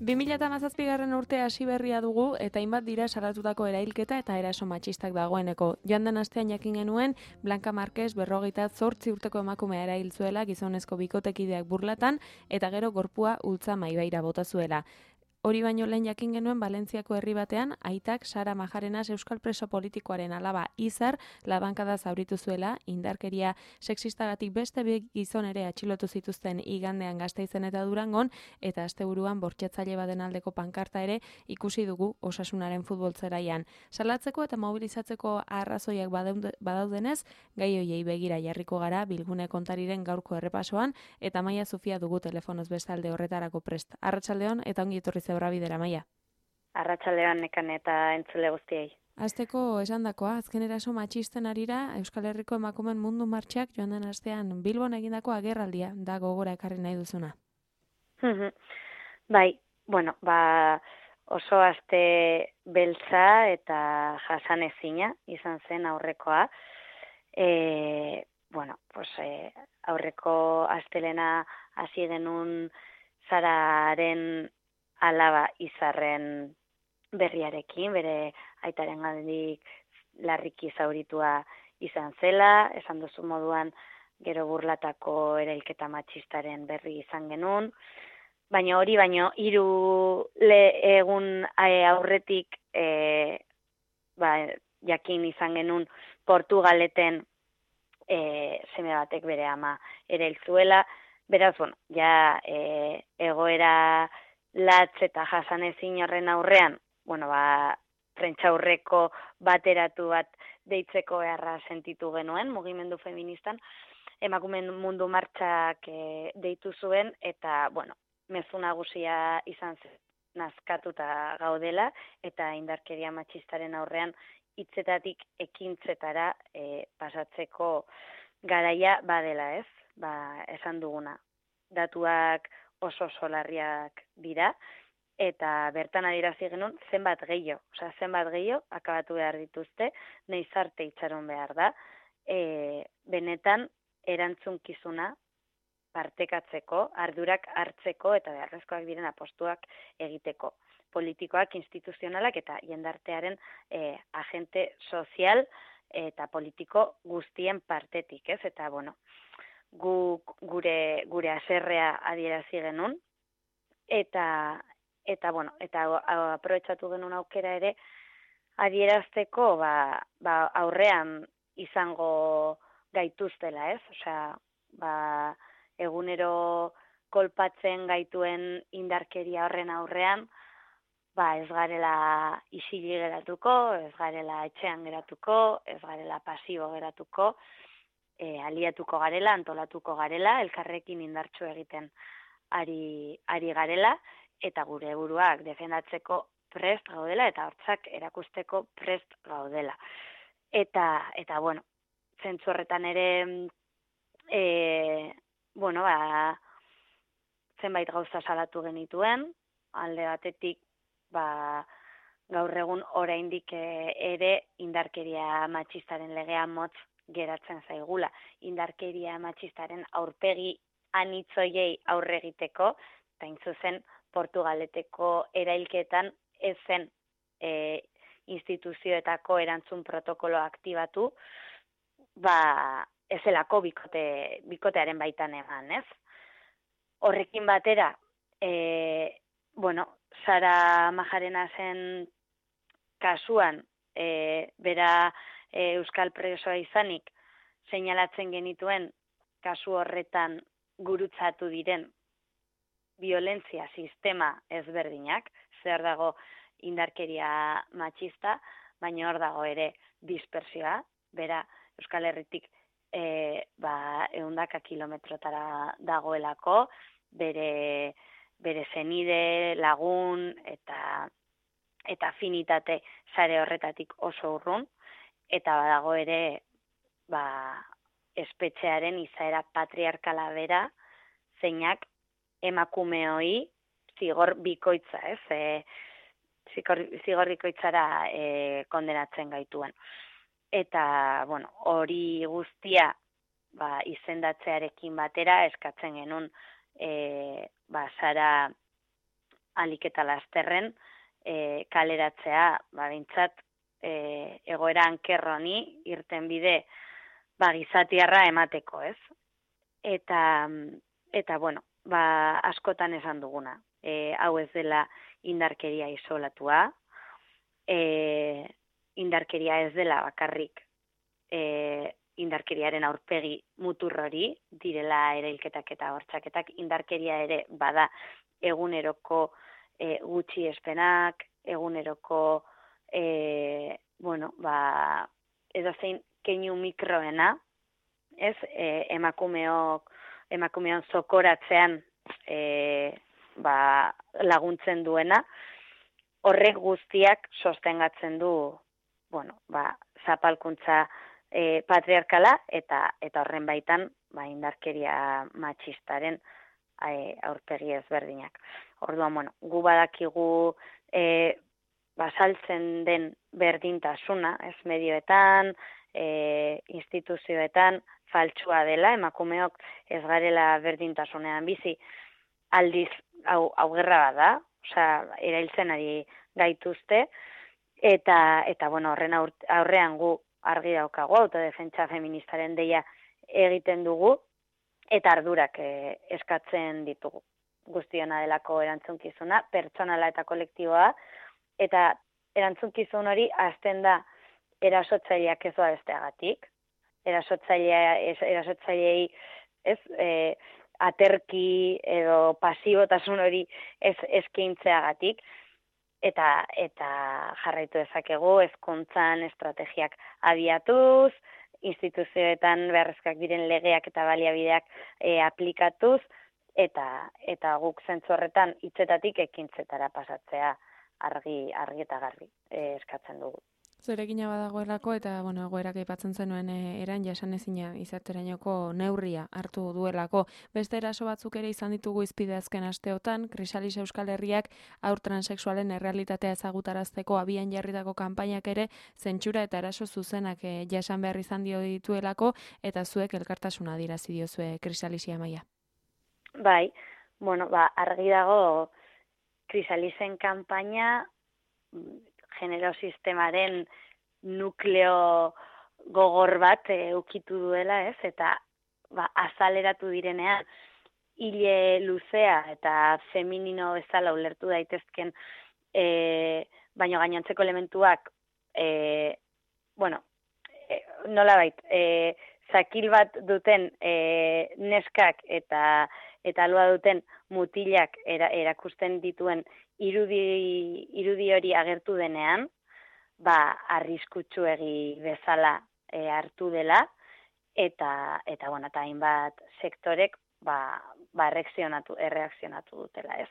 2017 urte hasi berria dugu eta hainbat dira salatutako erailketa eta eraso matxistak dagoeneko. Joan den astean jakin genuen Blanca Marquez 48 urteko emakumea erail zuela gizonezko bikotekideak burlatan eta gero gorpua ultza maibaira bota zuela. Hori baino lehen jakin genuen Valentziako herri batean, aitak Sara Majarenas euskal preso politikoaren alaba Izar labankada zauritu zuela, indarkeria sexistagatik beste bi gizon ere atxilotu zituzten igandean Gasteizen eta Durangon, eta asteburuan bortxatzaile baten aldeko pankarta ere ikusi dugu Osasunaren futbol zelaian. Salatzeko eta mobilizatzeko arrazoiak badaudenez, gai hoiei begira jarriko gara Bilgune kontariren gaurko errepasoan, eta Maia Zufia dugu telefonoz bestalde horretarako prest. Arratsaldeon eta ongi etorri zeurra bidera, Maia. Arratsaldean nekan eta entzule guztiei. Azteko esandakoa, azken eraso matxisten arira, Euskal Herriko emakumen mundu martxak joan den astean Bilbon egindako agerraldia da gogora ekarri nahi duzuna. Bai, oso aste beltza eta jasanezina izan zen aurrekoa. Aurreko astelena hasi genuen Sararen alaba Izarren berriarekin, bere aitaren gandik larriki zauritua izan zela, esan duzu moduan gero burlatako erailketa matxistaren berri izan genuen, baina 3 egun aurretik jakin izan genuen Portugaleten seme batek bere ama erail zuela, beraz, egoera latz eta jasanezin horren aurrean, prentsaurreko bateratu bat deitzeko beharra sentitu genuen, mugimendu feministan, emakumeen mundu martxak deitu zuen, eta, mezu nagusia izan zen nazkatuta gaudela, eta indarkeria matxistaren aurrean hitzetatik ekintzetara pasatzeko garaia badela, ez? Esan duguna. Datuak oso larriak dira, eta bertan adierazi genuen zenbat gehiago akabatu behar dituzte, nahiz arte itxaron behar da, benetan erantzunkizuna partekatzeko, ardurak hartzeko eta beharrezkoak diren apostuak egiteko. Politikoak, instituzionalak eta jendartearen agente sozial eta politiko guztien partetik, ez? Eta, gure haserrea adierazi genuen, eta aprobetxatu genuen aukera ere adierazteko aurrean izango gaituztela, ez? Egunero kolpatzen gaituen indarkeria horren aurrean, ez garela isili geratuko, ez garela etxean geratuko, ez garela pasibo geratuko, aliatuko garela, antolatuko garela, elkarrekin indartsu egiten ari garela, eta gure buruak defendatzeko prest gaudela, eta hortzak erakusteko prest gaudela. Eta zentzu horretan ere, zenbait gauza salatu genituen, alde batetik, gaur egun oraindik ere indarkeria matxistaren legea motz geratzen zaigula. Indarkeria matxistaren aurpegi anitzoiei aurre egiteko, eta intzuzen Portugaleteko erailketan ezen instituzioetako erantzun protokolo aktibatu, ezelako bikotearen baitan eman, ez? Horrekin batera, Sara Majarenasen kasuan, bera euskal presoa izanik, seinalatzen genituen kasu horretan gurutzatu diren violentzia sistema ezberdinak, zer dago indarkeria matxista, baina hor dago ere dispersioa, bera Euskal Herritik 100 kilometrotara dagoelako, bere zenide, lagun eta afinitate sare horretatik oso urrun, eta badago ere espetxearen izaera patriarkala bera, zeinak emakumeoi zigor bikoitza, ez? Zigor bikoitzara kondenatzen gaituen. Eta, hori guztia izendatzearekin batera eskatzen genuen Sara alik eta lasterren kaleratzea, behintzat egoera ankerroni irten bide gizatiarra emateko, ez? Eta bueno, askotan esan duguna. Hau ez dela indarkeria isolatua, indarkeria ez dela bakarrik indarkeriaren aurpegi mutur hori, direla erailketak eta bortxaketak, indarkeria ere bada eguneroko gutxiespenak, eguneroko edozein keinu mikroena, ez, emakumeon zokoratzean laguntzen duena, horrek guztiak sostengatzen du, zapalkuntza patriarkala eta horren baitan indarkeria matxistaren aurpegi ezberdinak. Orduan, gu badakigu saltzen den berdintasuna, ez, medioetan, instituzioetan, faltsua dela, emakumeok ez garela berdintasunean bizi, aldiz hau gerra bada, erailtzen ari gaituzte, eta horren aurrean gu argi daukagu, autodefentsa feministaren deia egiten dugu, eta ardurak eskatzen ditugu. Guztiona delako erantzunkizuna, pertsonala eta kolektiboa, eta erantzunkizun hori hasten da erasotzaileak ez doa besteagatik, erasotzaileei ez aterki edo pasibotasun hori ez eskaintzeagatik, eta jarraitu dezakegu hezkuntzan estrategiak abiatuz, instituzioetan beharrezkoak diren legeak eta baliabideak aplikatuz, eta guk zentzu horretan hitzetatik ekintzetara pasatzea argi eta garbi eskatzen dugu. Zeregina badagoelako eta egoerak aipatzen zenuen eran jasanezina izaterainoko neurria hartu duelako. Beste eraso batzuk ere izan ditugu hizpide azken asteotan, Krisalis Euskal Herriak haur transexualen errealitatea ezagutarazteko abian jarritako kanpainak ere zentsura eta eraso zuzenak jasan behar izan dio dituelako, eta zuek elkartasuna adierazi diozue Krisalisia Amaia. Bai, argi dago Krisalisen kanpaina genero sistemaren nukleo gogor bat ukitu duela, ez? Eta azaleratu direnean hile luzea eta feminino bezala ulertu daitezken baino gainontzeko elementuak nolabait zakil bat duten neskak eta alua duten mutilak erakusten dituen irudi hori agertu denean, arriskutsuegi bezala hartu dela, eta hainbat sektorek erreakzionatu dutela, ez.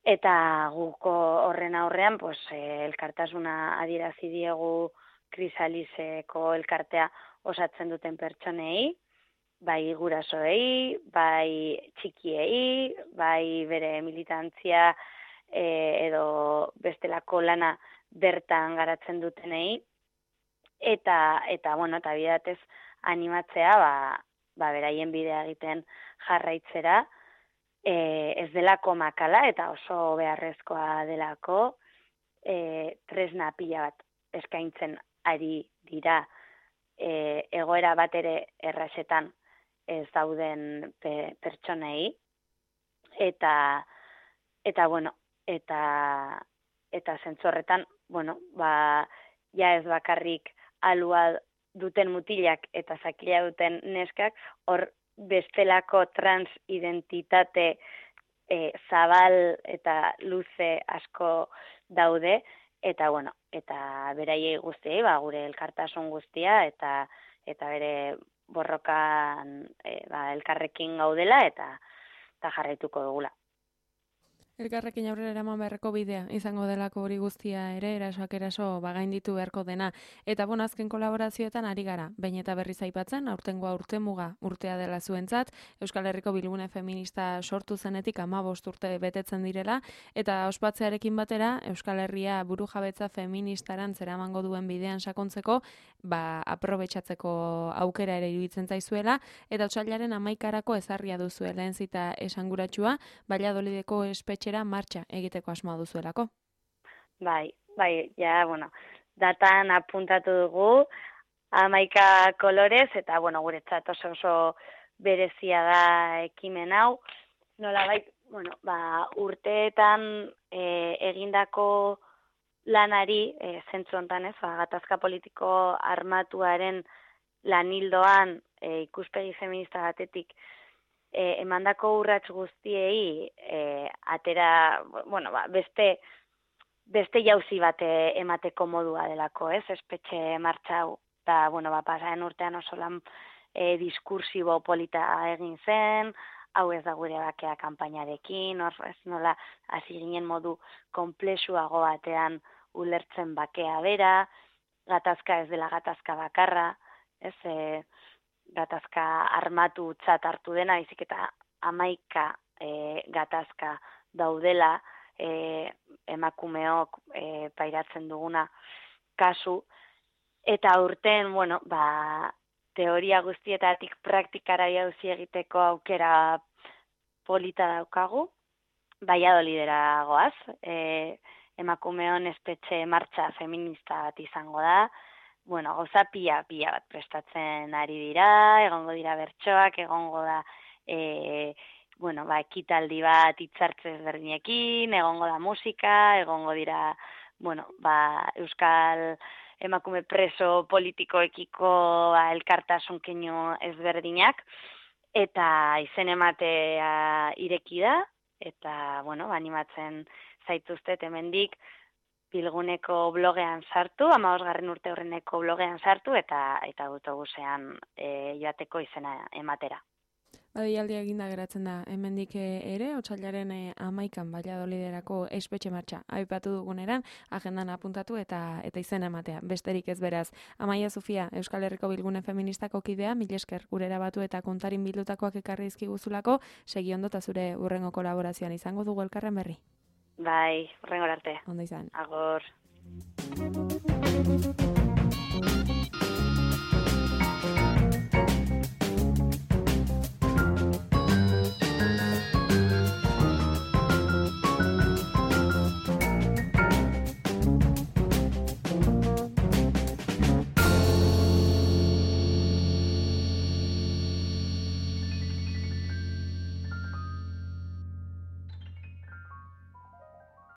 Eta guko horren aurrean, elkartasuna adierazi diegu Krisaliseko elkartea osatzen duten pertsonei, bai gurasoei, bai txikiei, bai bere militantzia edo bestelako lana bertan garatzen dutenei, eta bidatez animatzea, beraien bidea egiten jarraitzera, ez delako makala eta oso beharrezkoa delako, tresna pila bat eskaintzen ari dira egoera bat ere errazetan ez dauden pertsonei, eta zentzu horretan, ja ez bakarrik alua duten mutilak eta zakila duten neskak, hor bestelako transidentitate zabal eta luze asko daude, eta beraiei guztiei, gure elkartasun guztia, eta bere borrokan elkarrekin gaudela, eta jarraituko dugula. Elkarrekin aurrera eraman beharreko bidea izango delako hori guztia ere, erasoak eraso gainditu beharko dena. Eta azken kolaborazioetan ari gara, behin eta berriz aipatzen, aurtengoa urtemuga urtea dela zuentzat, Euskal Herriko Bilgune Feminista sortu zenetik 15 urte betetzen direla, eta ospatzearekin batera, Euskal Herria burujabetza feministaran zeramango duen bidean sakontzeko, aprobetxatzeko aukera ere iruditzen zaizuela, eta otsailaren 11 ezarria duzuela entzita esanguratsua, Valladolideko espetxe espetxera martxa egiteko asmoa duzuelako. Bai, ja, bueno, datan apuntatu dugu, 11 kolorez, eta, bueno, guretzat oso berezia da ekimen hau. Nolabait, bueno, urteetan egindako lanari, zentzu hontan ez, gatazka politiko armatuaren lanildoan ikuspegi feminista batetik emandako urrats guztiei atera, bueno, beste jauzi bat emateko modua delako, ez, espetxe martxa hau. Eta, bueno, pasaren urtean oso lan diskursibo polita egin zen, hau ez da gure bakea kanpainarekin, ez nola hasi ginen modu konplexuago batean ulertzen bakea bera, gatazka ez dela gatazka bakarra, ez, gatazka armatu hartu dena, izik eta 11 gatazka daudela, emakumeok pairatzen duguna kasu, eta urten, bueno, teoria guztietatik praktikara jauzi egiteko aukera polita daukagu, Valladolidera goaz, emakumeon espetxe martxa feminista bat izango da, bueno, gauza pila bat prestatzen ari dira, egongo dira bertsoak, egongo da, bueno, ekitaldi bat hitzartze ezberdinekin, egongo da musika, egongo dira, bueno, euskal emakume preso politikoekiko elkartasun keinu ezberdinak, eta izen ematea ireki da, eta, bueno, animatzen zaituztet hemendik Bilguneko blogean sartu, 15. urte horreneko blogean sartu, eta autobusean joateko izena ematera. Deialdia eginda geratzen da, hemendik ere, otsailaren 11an Valladoliderako espetxe martxa aipatu duguneran, agendan apuntatu eta izena ematea. Besterik ez beraz. Amaia Sofia, Euskal Herriko Bilgune Feministako kidea, mil esker gurera batu eta kontarin bildutakoak ekarri dizkiguzulako, segi ondo eta zure hurrengo kolaborazioan izango dugu elkarren berri. Bai, hurrengo arte. Ondo izan. Agor.